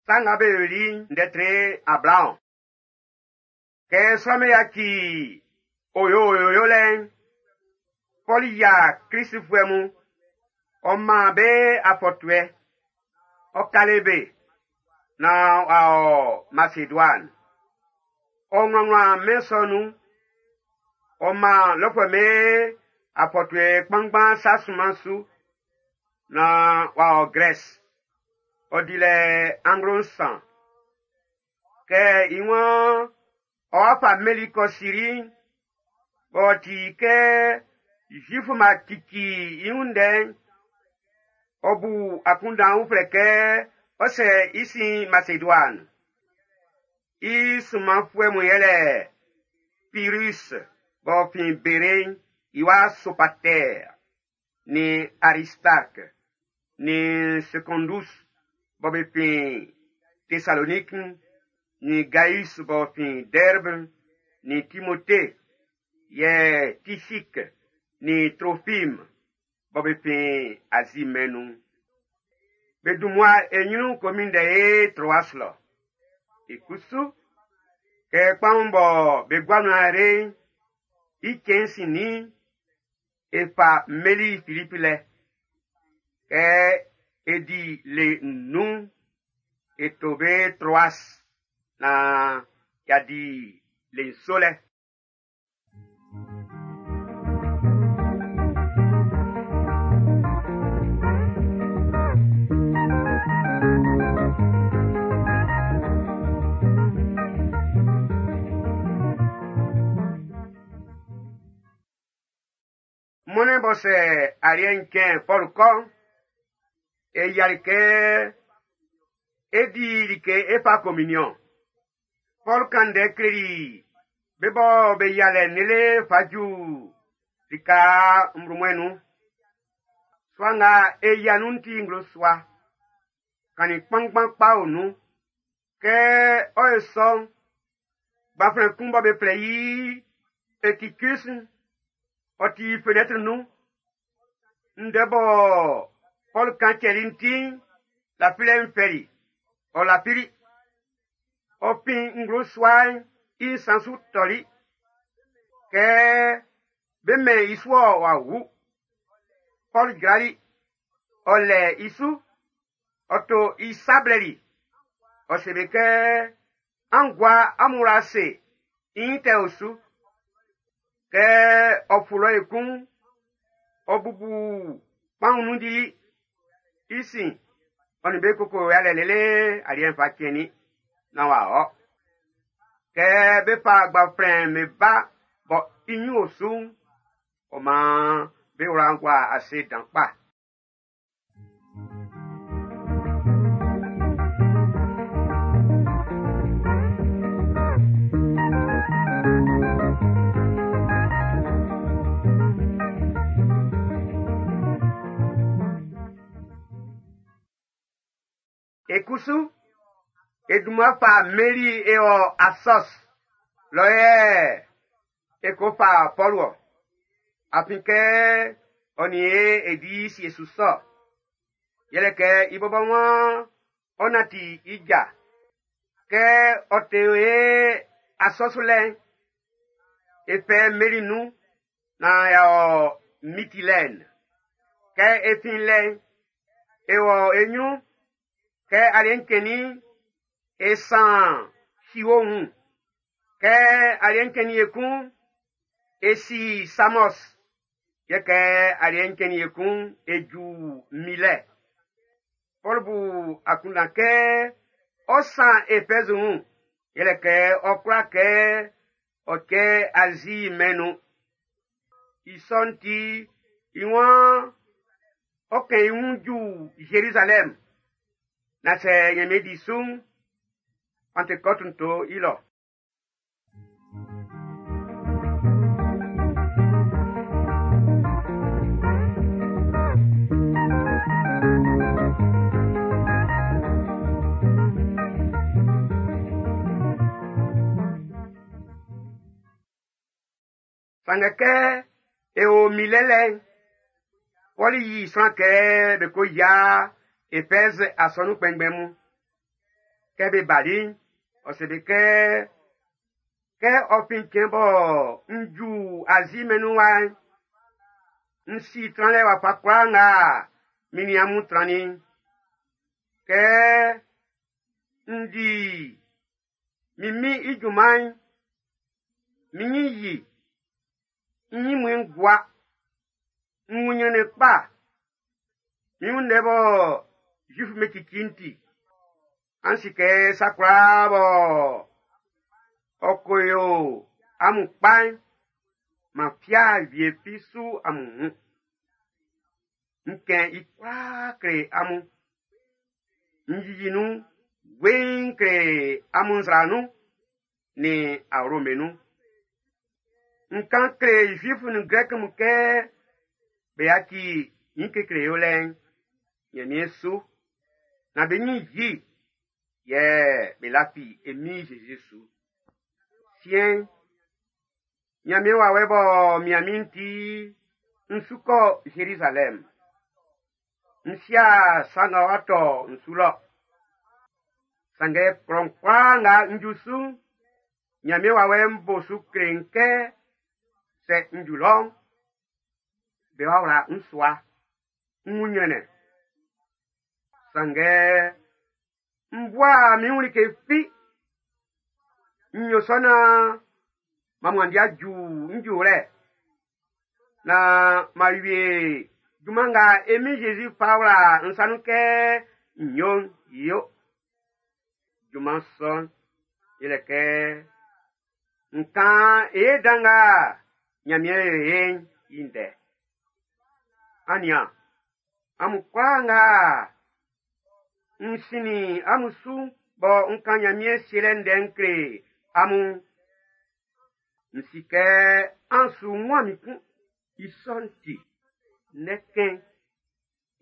Sa Nga Be Yoli'n ndɛ tre 20. Kɛ sran'm be yaci oyooyo yolɛ'n, Pɔlu yia Klistfuɛ mun, ɔ man be afɔtuɛ, ɔ kale be naan w'a ɔ Maseduani. Ɔ wlanwlan mɛn sɔ'n nun, ɔ man lɔfuɛ'm be afɔtuɛ kpanngban sa sunman su naan w'a ɔ Grɛsi. Ɔ dili anglo 3. Kɛ i waan ɔ́ wá fá mmeli kɔ́ Siri'n, b'ɔ ti kɛ Zuifu'm b'a cici i wun ndɛ'n, ɔ bu akunndan uflɛ kɛ ɔ sɛ i sin Maseduani. I sunmanfuɛ mun yɛlɛ Pirus b'ɔ fin Bere'n i wa Sopatɛr, nin Aristark, nin Sekɔndus bɔ be fin Tesalonik'n, nin Gaius b'ɔ fin Dɛrb, nin Timote, yɛ Tisik nin Trofim bɔ be fin Azi mɛn'n nun'n. Be dun mmua e nyrun ko minndɛ ye Troas lɔ. I kusu, kɛ kpaun bɔ be gua nun ayre'n i cɛn'n sinnin'n, e fa mmeli Filipi lɛ. Kɛ e di le nnun'n, e to be Troas naan y'a di le nso lɛ. Mɔnnɛn bɔ sɛ aliɛ'n cɛn Pɔlu kɔ'n, e yiali kɛ e di like e fa communion. Pɔlu kan ndɛ kleli be bɔ be yia lɛ'n lele fa ju lika nbrommuɛn nun. Sua nga e yia nun'n ti nglo sua. Kannin kpanngban kpa o nun. Kɛ ɔ yo sɔ'n, gbanflɛn kun bɔ be flɛ i Etikus'n, ɔ ti fenɛtri nun. Ndɛ bɔ Pɔlu kan cɛli'n ti'n, lafilɛ'n fɛli, ɔ lafili. Ɔ fin nglo sua'n i nsan su tɔli. Kɛ be mɛn i su-ɔ w'a wu. Pɔlu jrali, ɔ lɛ i su, ɔ to i sa blɛli. Ɔ se be kɛ, an gua amun wla ase, i nyin tɛ o su. Kɛ ɔ fu lɔ ekun'n, ɔ bubu kpaun nun dili. I sin, ɔ nin be koko yalɛ lele aliɛ'n fa cɛnnin naan w'a ɔ. Kɛ be fa gbanflɛn be ba bɔ i nyin o su'n, ɔ maan be wla'n gua ase dan kpa. E kusu, e dunman fa mmeli e ɔ Asɔs lɔ yɛ e ko fa Pɔlu ɔ. Afin kɛ ɔ nin e e di sie su sɔ. Yɛlɛ kɛ i bɔbɔ waan ɔ nanti i ja. Kɛ ɔ te e Asɔs lɛ'n, e fɛ mmeli nun naan y'a ɔ Mitilɛn. Kɛ e fin lɛ'n, e wɔ e ɲrun. Kɛ aliɛ'n cɛnnin'n, e san Siwo wun. Kɛ aliɛ'n cɛnnin ekun'n, e si Samos. Yɛ kɛ aliɛ'n cɛnnin ekun'n, e ju Milɛ. Pɔlu bu akunndan kɛ ɔ san Efɛzi wun, yɛlɛ kɛ ɔ kwla kɛ ɔ cɛ Azi mɛn'n nun. I sɔ'n ti, i waan ɔ kɛn i wun ju Zerizalɛm. Na sɛ Ɲanmiɛn di su'n, Pantekɔtu'n to i lɔ. Sanngɛ kɛ e o Milɛ lɛ'n, Pɔlu yi sran kɛ be ko yia Efɛz asɔnun kpɛnngbɛn mun. Kɛ be bali'n, ɔ se be kɛ, kɛ ɔ fin cɛn bɔ n ju Azi mɛn'n nun wa'n, n si tranlɛ wafa kwlaa nga min nin amun trannin'n. Kɛ n di min Min'n i junman'n, min ɲin yi, n ɲinmuɛn gua, n wun ɲrɛnnɛn kpa, min wun ndɛ bɔ Zuif'm be cici'n ti. An si kɛ sa kwlaa bɔ ɔ ko yo amun kpa'n, man fia wie fi su amun wun. N kɛn i kwlaa kle amun. N yiyi nun weiin kle amun nzra nun nin awlo'm be nun. N kan kle Zuif nin Grɛk mun kɛ be yaci nyin kekle yolɛ'n Nyanmiɛn su, nan be nyin yi yɛ be lafi e Min Jésus su. Siɛn'n, Nyanmiɛn wawɛ b'ɔ mian min'n ti, n su kɔ Zerizalɛm. N si'a sa nga ɔ'a tɔ n su lɔ. Sanngɛ klɔ'n kwlaa nga n ju su'n, Nyanmiɛn wawɛ'n bo su kle n kɛ sɛ n ju lɔ'n, be wa wla n sua, n wun nyrɛnnɛn. Sanngɛ n bua min wun like fi. N yo sɔ naan m'an wanndi a ju n juwlɛ, naan m'an wie junman nga e Min Jésus fa wla n sa nun kɛ n yo'n yo. Junman sɔ'n yɛlɛ kɛ n kan e ye dan nga Nyanmiɛn yo e'n i ndɛ. An nian, amun kwlaa nga n sinnin amun su bɔ n kan Nyanmiɛn sielɛ ndɛ'n kle amun'n, n si kɛ an su wuan min kun. I sɔ'n ti, ndɛkɛn,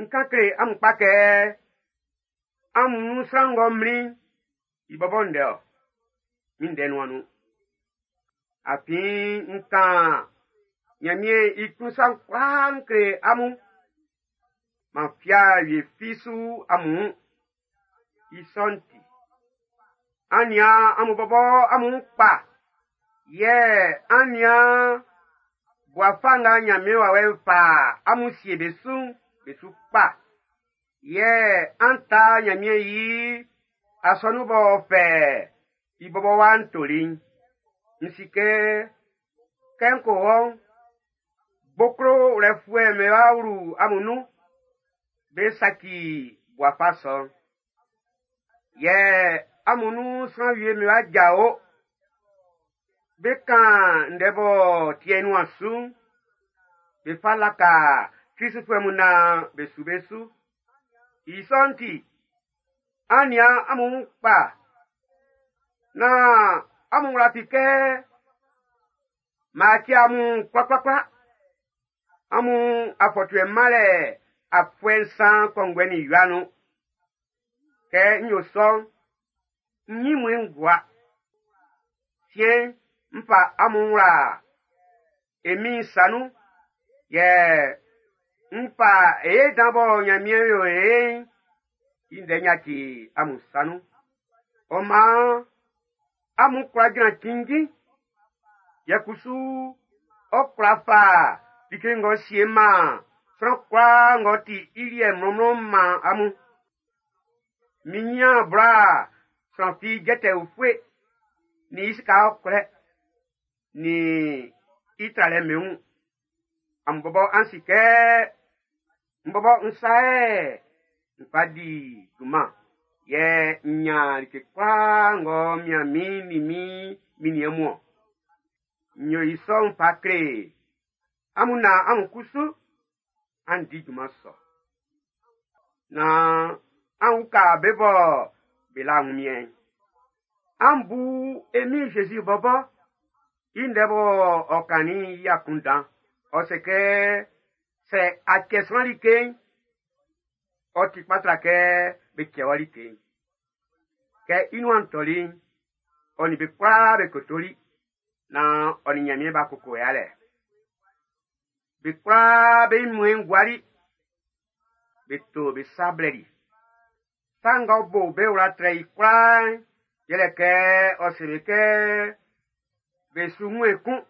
n kan kle amun kpa kɛ amun nun sran ng'ɔ mlin'n, i bɔbɔ ndɛ-ɔ, min ndɛ nun'an nun. Afin n kan Nyanmiɛn i klun sa'n kwlaa n kle amun. Man fia wie fi su amun wun. I sɔ'n ti, an nian amun bɔbɔ amun wun kpa, yɛ an nian bua fa nga Nyanmiɛn wawɛ'n fa amun sie be su'n, be su kpa. Yɛ an ta Nyanmiɛn i asɔnun b'ɔ fɛ i bɔbɔ wa'n toli'n. N si kɛ, kɛ n ko wɔ'n, gboklo wlɛfuɛ'm be wa wlu amun nun, be saci bua fa sɔ'n. Yɛ amun nun sran wie'm be wa jao, be kan ndɛ b'ɔ ti i nuan su'n, be fa laka Kristfuɛ mun naan be su be su. I sɔ'n ti, an nian amun wun kpa, naan amun wla fi kɛ m'an ci amun kwlakwlakwla. Amun afɔtuɛ manlɛ afuɛ nsan kɔnguɛ nin wia nun. Kɛ n yo sɔ'n, n ɲinmuɛn'n gua. Siɛn'n, n fa amun wla e Min'n sa nun, yɛ n fa e dan bɔ Nyanmiɛn yo e'n i ndɛ yaci amun sa nun. Ɔ maan amun kwla jran cinnjin, yɛ kusu ɔ kwla fa like ng'ɔ sie man sran kwlaa ng'ɔ ti i liɛ mlɔnmlɔn man amun. Min nyan bla sran fi jɛtɛ ufue, nin i sika ɔkwlɛ, nin i tralɛ min wun. Amun bɔbɔ an si kɛ n bɔbɔ n sa yɛ n fa di junman, yɛ n nyan like kwlaa ng'ɔ mian min nin min minniɛn mun-ɔn. N yo i sɔ'n fa kle amun naan amun kusu an di junman sɔ. Naan an uka be bɔ be la wunmiɛn'n. An bu e Min Jésus bɔbɔ i ndɛ bɔ ɔ kannin'n i akunndan. Ɔ se kɛ sɛ a cɛ sran like'n, ɔ ti kpa tra kɛ be cɛ wɔ like'n. Kɛ i nuan tɔli'n, ɔ nin be kwlaa be kotoli, naan ɔ nin Nyanmiɛn b'a koko yalɛ. Be kwlaa be ɲinmuɛn'n guali, be to be sa blɛli. Sa ng'ɔ bo be wla trɛ i kwlaa'n, yɛlɛ kɛ ɔ se be kɛ be su wun ekun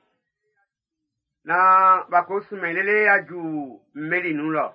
naan b'a ko sunmɛn lele a ju mmeli nun lɔ.